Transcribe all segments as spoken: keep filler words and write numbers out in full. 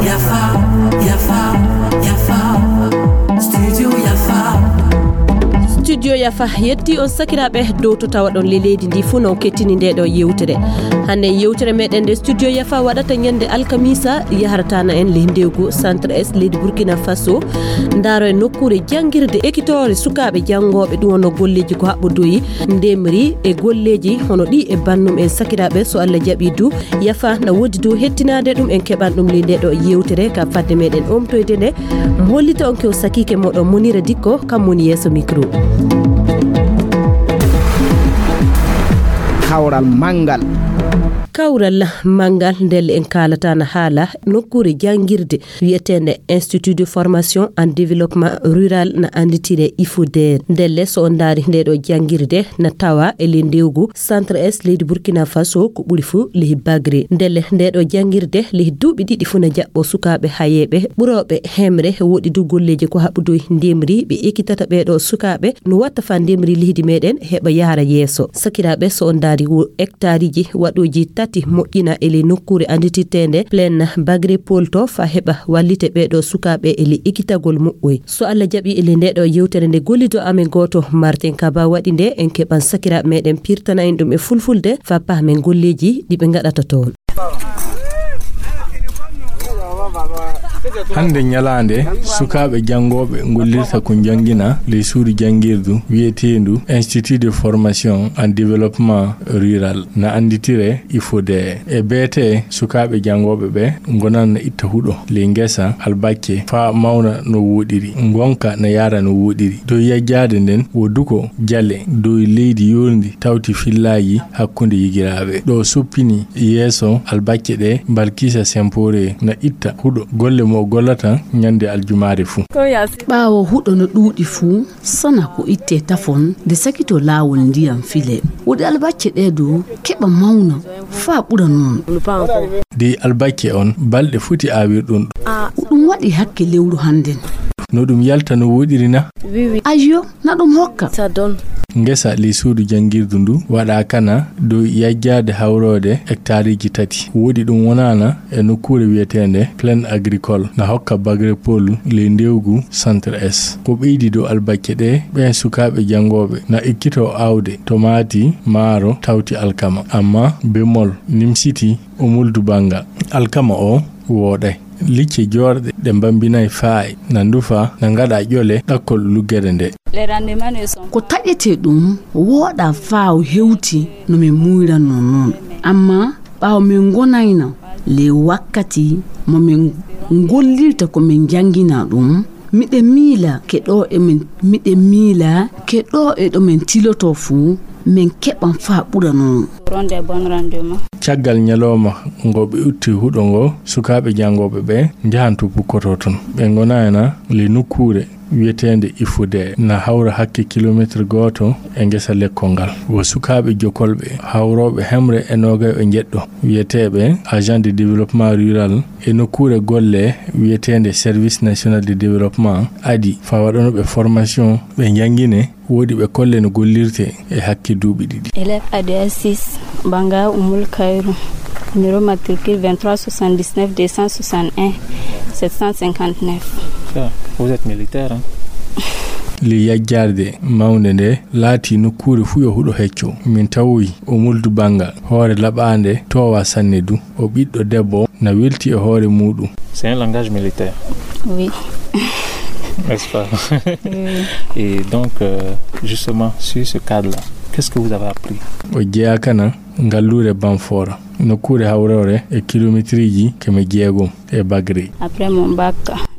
Yafa, Yafa, Yafa, Studio Yafa. Studio Yafa yetti on sakiraaɓe dow to tawaɗon le leydi ndi fuu no kettini nde ɗo yewtere. Hannde yewtere meɗen nde Studio Yafa waɗata ñande alkamisa yahrata na en le ndewgu Centre S leydi Burkina Faso. Ndaaro e nokkuure janngirde ekitoore sukaaɓe janngooɓe ɗum wonno golleeji ko haɓɓodoyi ndemri e golleeji hono ɗi e bannum en sakiraaɓe so Allah jaɓi du. Yafa na woodi dow hettinaade ɗum, en keɓan ɗum ley nde ɗo yewtere ka fadde meɗen omtoyde nde. Mo hollita on ke o sakiike moɗon Monira Dikko, kam woni yeeso micro. Kawral manngal. Kawral manngal ndelle en kaalata na haala nokkuure janngirde wiyeteende Institut de Formation and Développement Rural na annditire IFODER. Ndelle so on ndaari nde ɗo janngirde na tawa e ley ndewgu Centre S leydi Burkina Faso ko ɓuri fuu ley Bagre. Ndelle nde ɗo janngirde ley duuɓi ɗiɗi fuu na jaɓɓo sukaaɓe hayeeɓe ɓurooɓe hemre woɗi du golleeji ko haɓɓudoy ndemri ɓe ekkitata ɓee ɗo sukaaɓe no watta fa ndemri leydi meɗen heɓa yahra yeeso. Sakiraaɓe so on ndaari wo hectareji waɗooji tati moƴƴina e ley nokkuure annditirteende Plaine Bagrepol to fa heɓa wallite ɓee ɗo sukaaɓe e ley ekkitagol muɓɓoy. So Allah jaɓi e ley nde ɗo yewtere nde gollido amen gooto Martin Kaba waɗi nde en keɓan sakiraaɓe meɗen pirtana en ɗum e fulfulde fa pahmen golleeji ɗi ɓe ngaɗata toon. Hannde ñalaande sukaaɓe janngooɓe ngollirta ko njanngina ley suudu janngirdu wiyeteendu Institut de Formation and Développement Rural na annditire IFODER. E beete sukaaɓe janngooɓe ɓe ngonan na itta huɗo ley ngesa albacce faa mawna no wooɗiri, ngonka na yahra no wooɗiri. Dow yajjaade nden wo duko jale dow leydi yoorndi tawti fillaaji hakkunde yigiraaɓe. Ɗo soppini yeeso albacce ɗe Balkisa Sempore na itta huɗo golle mo o gollata ñande aljumaare fuu. Ɓaawo huɗo no ɗuuɗi fuu, sana ko itte tafon nde sakito laawol ndiyam file. Woɗi albacce ɗe du keɓa mawna faa ɓura noon. Dey albacce on balɗe foti aawirɗon ɗum? Ɗum waɗi hakke lewru hannden. No ɗum yalta no wooɗiri na? Ayyo, na ɗum hokka. Ngesa ley suudu janngirdu ndu waɗa kana dow yajjaade hawroode hectareji tati. Woɗi ɗum wonaana e nokkuure wiyeteende Plaine Agricole na hokka Bagrepol ley ndewgu Centre S. Ko ɓeydi dow albacce ɗe ɓeen sukaaɓe janngooɓe na ekkitoo aawde tomaati, maaro, tawti alkama. Amma bemol nimsiti Omuldu Banga. Alkama o wooɗay. Licce joorɗe ɗe mbambinay faay na ndufa na ngaɗa ƴole ɗakkol luggere nde. Ko taƴetee ɗum wooɗa faaw hewti no min muuyranno noon. Amma ɓaawo min ngonayna ley wakkati mo min ngollirta ko min njanngina ɗum, miɗen miila ke ɗo emin, miɗen miila ke ɗo e ɗo min tilotoo fuu, min keɓan faa ɓura noon. Caggal ñalooma ngo ɓe itti huɗo ngo, sukaaɓe janngooɓe ɓe njahan to pukkotoo ton. Ɓe ngonayna ley nokkuure wiyeteende Ifude, na hawra hakke kilomeetir gooto e ngesa lekkol ngal. Wo sukaaɓe jokolɓe hawrooɓe hemre e noogay e njeɗɗo, wiyeteeɓe agent de développement rural e nokkuure golle wiyeteende Service National de Développement, adi faa waɗanooɓe formation, ɓe njanngine, woodi ɓe kolle no gollirtee e hakke duuɓi ɗiɗi. Élève A D S six, Banga Oumoul Kairou, numéro matricule vingt-trois soixante-dix-neuf deux cent soixante et un sept cent cinquante-neuf. Ah, vous êtes militaire, hein? Ley yajjarde mawnde nde, laatii nokkuure fuu yo huɗo hecco. Min tawoyi Oumoul du Banga, hoore laɓaande, toowa sanne du. O ɓiɗɗo debbo, na welti e hoore muuɗum. C'est un langage militaire. Oui. N'est-ce pas? Oui. Et donc, euh, justement, sur ce cadre-là, qu'est-ce que vous avez appris? O jeyaa kana ngalluure Banfora, nokkuure hawroore e kilomeetirji keme jeegom e Bagri. Après mon bac.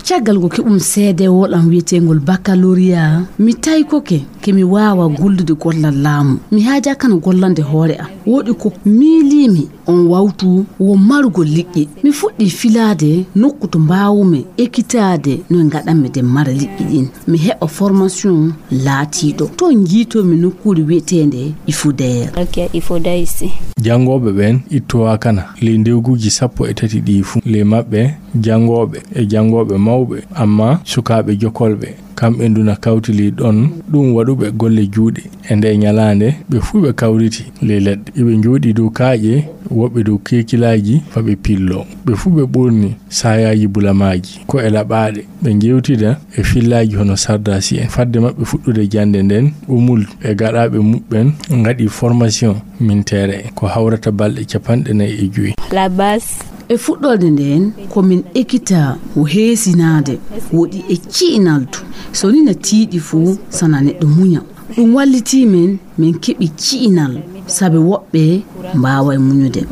Caggal ko keɓum seedeewol am wiyeteengol baccalauréat, mi taykoke ke mi waawa gollude gollal laamu. Mi haajaa kana gollande hoore am. Woodi ko miiliimi on wawtu wo marugol liƴƴi. Mi fuɗɗii filaade nokku to mbaawumi ekkitaade no ngaɗanmi de mara liƴƴi ɗin. Mi heɓa formation laatiiɗo. To njiitoomi nokkuure wiyeteende Ifudeer. Ok, Ifudeer ici. Janngooɓe ɓen ittowa kana ley ndewguuji sappo e tati ɗii fuu. Ley maɓɓe janngooɓe e janngooɓe mawɓe, amma sukaaɓe jokolɓe. Kamɓe ndu na kawti ley ɗon ɗum waɗuɓe golle juuɗe. E nde ñalaande, ɓe fuu ɓe kawriti ley leɗɗe. Iɓe njooɗii dow kaaƴe, woɓɓe dow keekilaaji, fa ɓe pilloo. Ɓe fuu ɓe ɓorni saayaaji bulamaaji, ko'e laɓaaɗe. Ɓe njeewtida e fillaaji hono Sardaasi en. Fadde maɓɓe fuɗɗude jannde nden, Umul e gaɗaaɓe muɓɓen ngaɗi formation militaire en, ko hawrata balɗe capanɗe nayi e jowi. La base. E fuɗɗorde nden, ko min ekita o heesinaade, woɗi e ci'inal du. So ni na tiiɗi fuu, sana neɗɗo muña. Ɗum wallitii men, min keɓi ci'inal, sabi woɓɓe mbaaway muñude.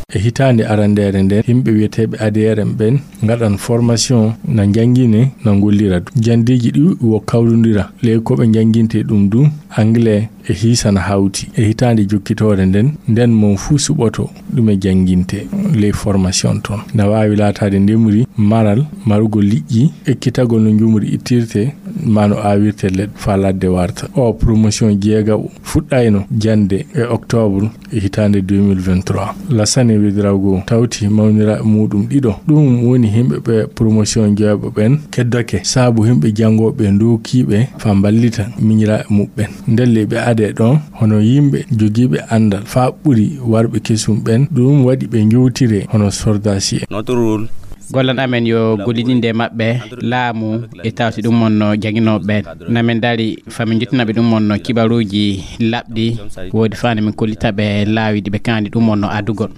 E hitaande arandeere nden, yimɓe wiyeteeɓe A D R M ɓen ngaɗan formation, na njanngine, na ngollira du. Janndeeji ɗi wo kawrondira, ley ko ɓe njannginte ɗum du, anglais e hiisa na hawti. E hitaande jokkitoore nden, nden mon fuu suɓoto ɗume jannginte ley formation ton. Na waawi laataade ndemri, maral, marugol liƴƴi, ekkitagol no njumri ittirte, maa no aawirte leɗɗe faa ladde warta. O promotion jeegaɓo fuɗɗayno jannde e octobre e hitaande deux mille vingt-trois. Lassane Ouédraogo tawti mawniraaɓe muuɗum ɗiɗo. Ɗum woni yimɓe ɓe promotion jeegaɓo ɓen keddake, sabu yimɓe janngooɓe ndookiiɓe faa mballita miñiraaɓe muɓɓen. Ndelle ɓe adee ɗon hono yimɓe jogiiɓe anndal faa ɓuri warɓe kesum ɓen, ɗum waɗi ɓe njowtiree hono sordaasi'en. Notre rôle. Gollal amen yo gollidinde e maɓɓe, laamu e tawti ɗum wonno jannginooɓe ɓen. Na min dari faa min njettina ɓe ɗum wonno kibaruuji laɓɗi, woodi faa nde min kollita ɓe laawi ɗi ɓe kaani ɗum wonno adugol.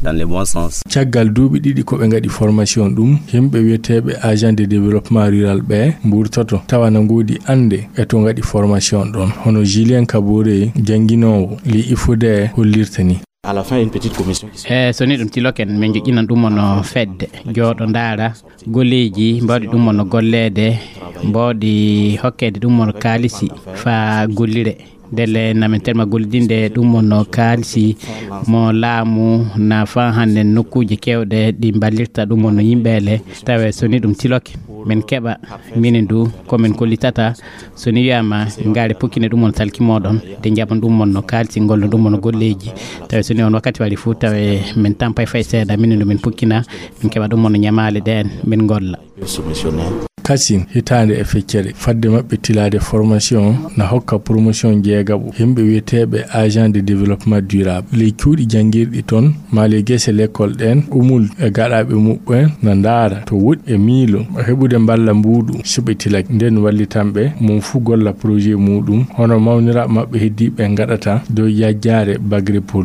Dans le bon sens. Caggal duuɓi ɗiɗi ko ɓe ngaɗi formation ɗum, yimɓe wiyeteeɓe agent de développement rural ɓe mburtoto, tawa na ngoodi annde e to ngaɗi formation ɗon. Hono Julien Kabore, jannginoowo ley IFODER hollirta ni. À la fin, une petite commission qui se E so ni ɗum tiloken, min joƴƴinan ɗum wonno fedde, jooɗo ndaara golleeji, mbaɗi ɗum wonno golleede, mbaɗi hokkeede ɗum wonno kaalisi faa gollire. Ndelle na min telma gollidinde ɗum wonno kaalisi mo laamu na faa hannde nokkuuje keewɗe ɗi mballirta ɗum wonno yimɓe le. Tawe so ni ɗum tiloke, min keɓa minen du ko min kollitata. So ni wiyaama ngaare pukkine ɗum wonno talki mooɗon, de njaɓan ɗum wonno kaalisi, ngollon ɗum wonno golleeji. Tawe so ni on wakkati wari fuu, tawe min tampay fay seeɗa, minen du min pukkina, min keɓa ɗum wonno ñamaale ɗeen, min ngolla. Kasin, hitaande e feccere, fadde maɓɓe tilaade formation, na hokka promotion jeegaɓo, yimɓe wiyeteeɓe agent de développement durable. Ley cuuɗi janngirɗi toon, maa ley gese lekkol ɗeen, Umul e gaɗaaɓe muɓɓen na ndaara to woɗɗi e miilo heɓude mballa mbuuɗu so ɓe tilake. Nden wallitanɓe mum fuu golla projet muuɗum, hono mawniraaɓe maɓɓe heddiiɓe ngaɗata dow yajjaare Bagre Pol.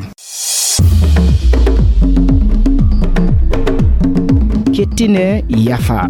Kettine yafa.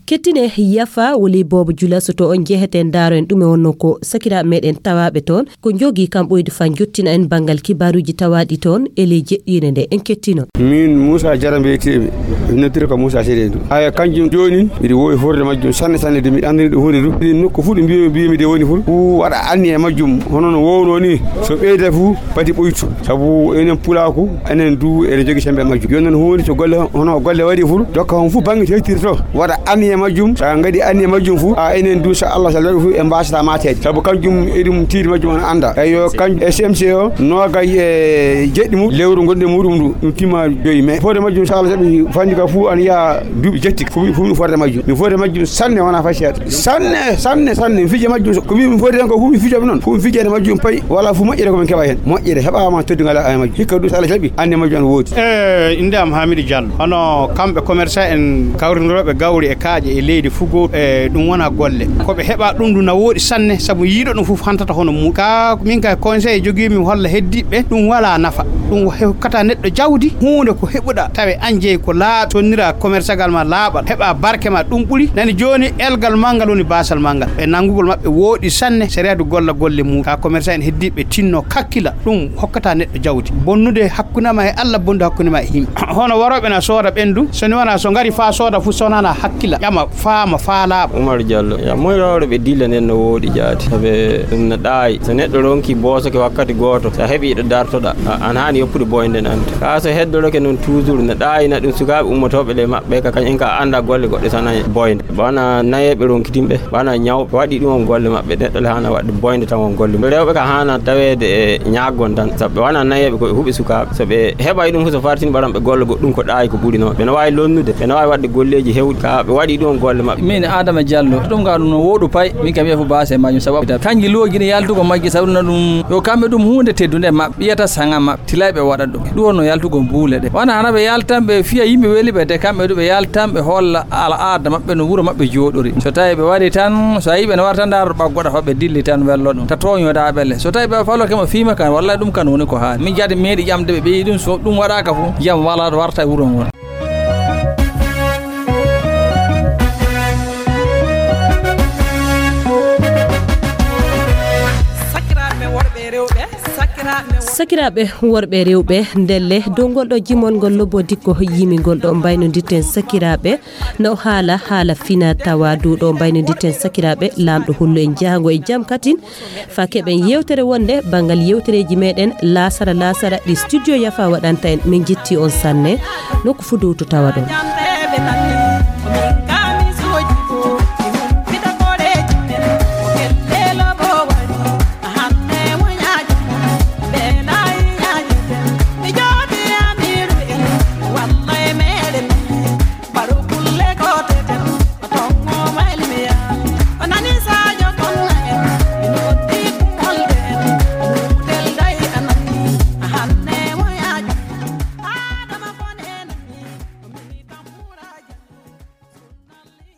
Kettine yafa woni Boobo Jula, so to on njeheten ndaaro en ɗume wonno ko sakiraaɓe meɗen tawaaɓe toon, ko njogi kam ɓoyde faa njottina en banngal kibaaruuji tawaaɗi toon e ley jeɗɗiinde nde. En kettino. Min Moussa Diarra mbiyeteemi, mi noddira ko Moussa Seydou. Aya kanjum jooni miɗo woowi horde majjum sanne sanne, de miɗo anndani ɗum huunde du. Ɗin nokku fuu ɗo mbiyomi, mbiyomi de woni fuu, fuu waɗa anniya e majjum, hono no wowno ni, so ɓeyda fuu pati ɓoytu. Sabu enen pulaaku, enen du eɗen jogi sembe majjum. Jooni noon huunde to golle, hono golle waɗi fuu, dokka hon fuu bannge to hettirto, waɗa anniya majjum. So a ngaɗi anniya majjum fuu, a enen du, so Allah so waɗi fuu, en mbaasata maateede. Sabu kanjum eɗum tiiɗi majjum on annda. Eyyo, kanjum e C M C o, noogay e jeɗɗi mum, lewru gonɗe muɗum ndu, ɗum timma joyi mai. Forde majjum, so Allah jaɓi, fanndi ka fuu ana yaha duuɓi jetti, fuu, fuu mi forde majjum. Mi forde majjum sanne, wona fay seeɗa. Sanne, sanne, sanne, mi fija majjum. Ko mi, mi forde tan ko fuu mi fijoɓe noon. Fuu mi fijede majjum pay. Wala fuu moƴƴere ko min keɓa heen. Moƴƴere heɓaama teddugal e majjum. Hikka du, so Allah jaɓi, anniya majjum ana woodi. Eh, innde am Hamidou Diallo. Hono kamɓe commerçant en kawrindirooɓe gawri e kaaƴe e leydi fuu gooto, e ɗum wona golle. Ko ɓe heɓa ɗum du na woodi sanne, sabu yiiɗo ɗum fof hantata hono mum. Ka min kay conseil jogiimi holla heddiiɓe, ɗum wala nafa. Ɗum hokkata neɗɗo jawdi, huunde ko heɓuɗa, tawe an jeyi ko laaɓi, sonnira commerçagal ma laaɓal, heɓa barke ma, ɗum ɓuri. Nani jooni, elgal manngal woni baasal manngal. E nanngugol maɓɓe wooɗi sanne, sariya du golla golle mum. Ka commerçant en heddiiɓe tinno kakkila, ɗum hokkata neɗɗo jawdi. Bonnude hakkunde ma e Allah, bonnude hakkunde ma e yimɓe. Hono warooɓe na sooda ɓendu, so ni wona so ngari faa sooda fu sonana hakkila, ƴama, faama, faa laaɓa. Umar Diallo, ya moy rewre ɓe dilla nden no woodi jaati. Sabe ɗum no ɗaayi. So neɗɗo ronki boosoke wakkati gooto, so a heɓi ɗo dartoɗa, a, an haani Puɗi boyde nante. Ka so heddorake noon toujours ne ɗaayina ɗum sukaaɓe ummotooɓe ɗe maɓɓe ka kañum ka annda golle goɗɗe tan e boyde. Bana nayeeɓe ronkitinɓe, bana ñawɓe waɗi ɗum on golle maɓɓe. Neɗɗo le haana waɗde boyde tan on golle. Rewɓe ka haana taweede e ñaaggon tan. Sabu ɓe wona nayeeɓe ko ɓe huɓe sukaaɓe. So ɓe heɓay ɗum fof so fartini ɓaran ɓe golle goɗɗum ko ɗaayi ko ɓuri noon. Ɓe no waawi lonnude, ɓe no waawi waɗde golleeji hewɗi ka ɓe waɗi ɗum on golle maɓɓe. Min Adama Diallo, ɗum ka ɗum no wooɗu pay. Min kam wiya fof baase majjum sababu kanji looji ne yaltugo majji sabu no ɗum yo kamɓe ɗum huunde teddunde maɓɓe. Ɓiyata saŋa maɓɓe, tilay ɓe waɗa ɗum. Ɗum wonno yaltugol buule ɗe. Wona hana ɓe yaltan ɓe fiya yimɓe weli ɓe, de kamɓe du ɓe yaltan ɓe holla al aada maɓɓe no wuro maɓɓe jooɗori. So tawi ɓe waɗi tan, so a yii ɓe no wara tan ndaaro ɓaggoɗa fa ɓe dilli tan wello ɗum. Ta tooñoɗa ɓelle. So tawi ɓe falo kema fiima kan, wallay ɗum kan woni ko haali. Min jaade meeɗi ƴamde ɓe ɓeyi ɗum, so ɗum waɗaka fu, jam wala warta e wuro ngon. Sakiraaɓe worɓe e rewɓe, sakiraaɓe worɓe. Sakiraaɓe worɓe e rewɓe, ndelle dow ngol ɗo jimol ngol lobbo dikko yimingol ɗo mbaynodirten sakiraaɓe, no haala haala fina tawa dow ɗo mbaynodirten sakiraaɓe, laamɗo hollu en jahango e jam katin, fa keɓen yewtere wonde banngal yewtereeji meɗen laasara laasara ɗi studio Yafa waɗanta en. Min jetti on sanne, nokku fu dow to tawa ɗon.